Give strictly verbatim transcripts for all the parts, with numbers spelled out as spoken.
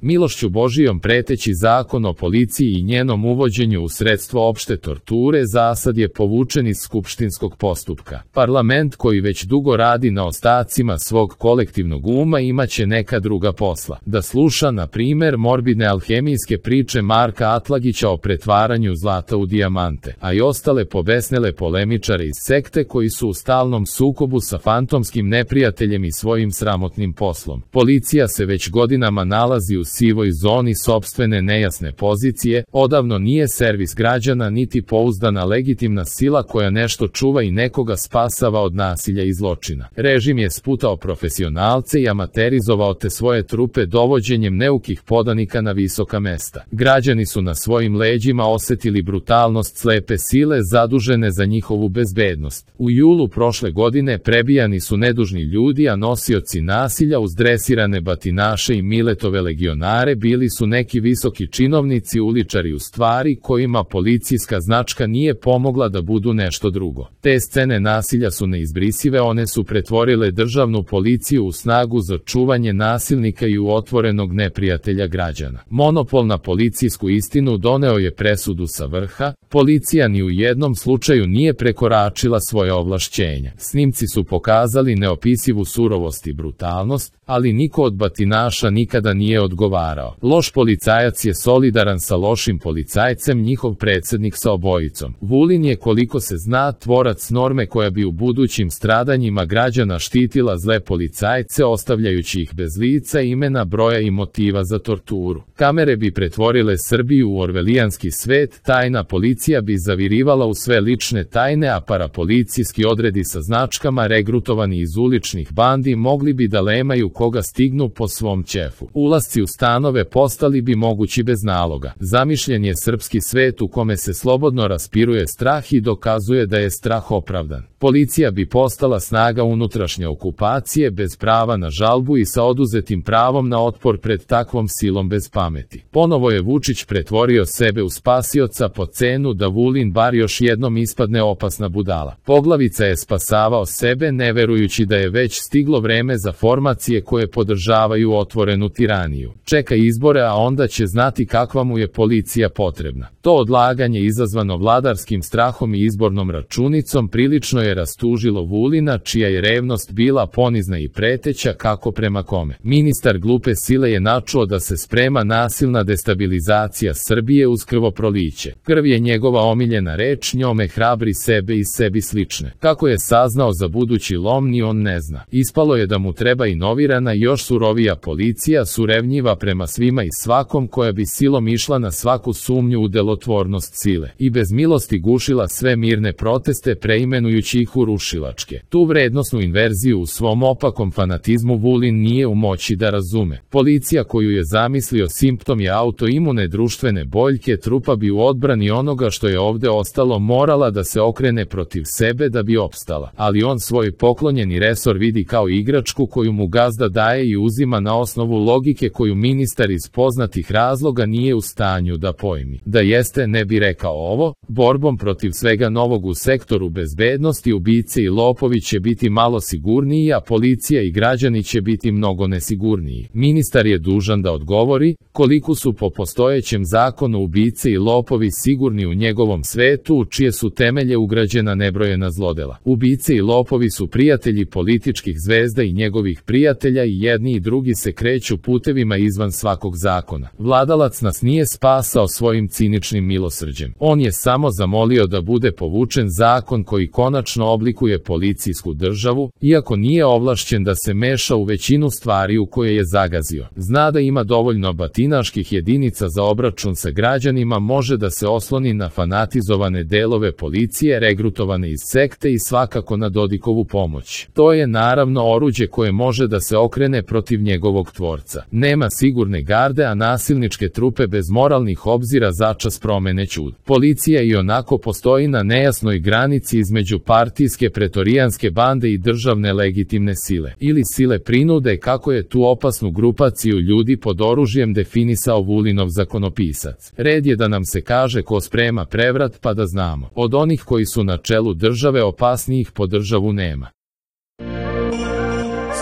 Milošću Božijom preteći zakon o policiji i njenom uvođenju u sredstvo opšte torture zasad je povučen iz skupštinskog postupka. Parlament koji već dugo radi na ostacima svog kolektivnog uma imaće neka druga posla. Da sluša, na primer, morbidne alhemijske priče Marka Atlagića o pretvaranju zlata u dijamante, a i ostale pobesnele polemičare iz sekte koji su u stalnom sukobu sa fantomskim neprijateljem i svojim sramotnim poslom. Policija se već godinama nalazi u sivoj zoni sopstvene nejasne pozicije, odavno nije servis građana niti pouzdana legitimna sila koja nešto čuva i nekoga spasava od nasilja i zločina. Režim je sputao profesionalce i amaterizovao te svoje trupe dovođenjem neukih podanika na visoka mesta. Građani su na svojim leđima osetili brutalnost slepe sile zadužene za njihovu bezbednost. U julu prošle godine prebijani su nedužni ljudi, a nosioci nasilja uz dresirane batinaše i Miletove legionare bili su neki visoki činovnici, uličari u stvari kojima policijska značka nije pomogla da budu nešto drugo. Te scene nasilja su neizbrisive, one su pretvorile državnu policiju u snagu za čuvanje nasilnika i u otvorenog neprijatelja građana. Monopol na policijsku istinu doneo je presudu sa vrha, policija ni u jednom slučaju nije prekoračila svoje ovlašćenja. Snimci su pokazali neopisivu surovost i brutalnost, ali niko od batinaša nikada nije odgovarao. Loš policajac je solidaran sa lošim policajcem, njihov predsednik sa obojicom. Vulin je, koliko se zna, tvorac norme koja bi u budućim stradanjima građana štitila zle policajce, ostavljajući ih bez lica, imena, broja i motiva za torturu. Kamere bi pretvorile Srbiju u orvelijanski svet, tajna policija bi zavirivala u sve lične tajne, a parapolicijski odredi sa značkama, regrutovani iz uličnih bandi, mogli bi da lemaju koga stignu po svom ćefu. Ulasci u stanove postali bi mogući bez naloga. Zamišljen je srpski svet u kome se slobodno raspiruje strah i dokazuje da je strah opravdan. Policija bi postala snaga unutrašnje okupacije bez prava na žalbu i sa oduzetim pravom na otpor pred takvom silom bez pameti. Ponovo je Vučić pretvorio sebe u spasioca po cenu da Vulin bar još jednom ispadne opasna budala. Poglavica je spasavao sebe ne verujući da je već stiglo vreme za formacije koje podržavaju otvorenu tiraniju. Čeka izbore, a onda će znati kakva mu je policija potrebna. To odlaganje izazvano vladarskim strahom i izbornom računicom prilično je rastužilo Vulina, čija je revnost bila ponizna i preteća kako prema kome. Ministar glupe sile je načuo da se sprema nasilna destabilizacija Srbije uz krvoproliće. Krv je njegova omiljena reč, njome hrabri sebe i sebi slične. Kako je saznao za budući lom, ni on ne zna. Ispalo je da mu treba inovirana i još surovija policija, surevnjiva prema svima i svakom, koja bi silom išla na svaku sumnju u delotvornost sile i bez milosti gušila sve mirne proteste, preimenujući ih u rušilačke. Tu vrednosnu inverziju u svom opakom fanatizmu Vulin nije u moći da razume. Policija koju je zamislio simptom je autoimune društvene boljke, trupa bi u odbrani onoga što je ovde ostalo morala da se okrene protiv sebe da bi opstala. Ali on svoj poklonjeni resor vidi kao igračku koju mu gazda daje i uzima na osnovu logike koju ministar iz poznatih razloga nije u stanju da pojmi. Da jeste, ne bi rekao ovo, borbom protiv svega novog u sektoru bezbednosti ubice i lopovi će biti malo sigurniji, a policija i građani će biti mnogo nesigurniji. Ministar je dužan da odgovori koliko su po postojećem zakonu ubice i lopovi sigurni u njegovom svetu u čije su temelje ugrađena nebrojena zlodela. Ubice i lopovi su prijatelji političkih zvezda i njegovih prijatelja i jedni i drugi se kreću putevima izvan svakog zakona. Vladalac nas nije spasao svojim ciničnim milosrđem. On je samo zamolio da bude povučen zakon koji konačno oblikuje policijsku državu, iako nije ovlašćen da se meša u većinu stvari u koje je zagazio. Zna da ima dovoljno batinaških jedinica za obračun sa građanima, može da se osloni na fanatizovane delove policije regrutovane iz sekte i svakako na Dodikovu pomoć. To je naravno oruđe koje može da se okrene protiv njegovog tvorca. Nema sigurne garde, a nasilničke trupe bez moralnih obzira začas promene ćud. Policija i onako postoji na nejasnoj granici između partijske pretorijanske bande i državne legitimne sile. Ili sile prinude, kako je tu opasnu grupaciju ljudi pod oružjem definisao Vulinov zakonopisac. Red je da nam se kaže ko sprema prevrat pa da znamo. Od onih koji su na čelu države opasnijih po državu nema.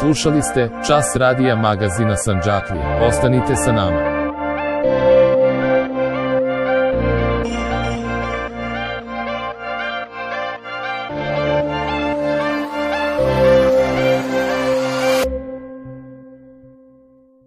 Slušali ste Čas radija magazina Sandžaklija. Ostanite sa nama.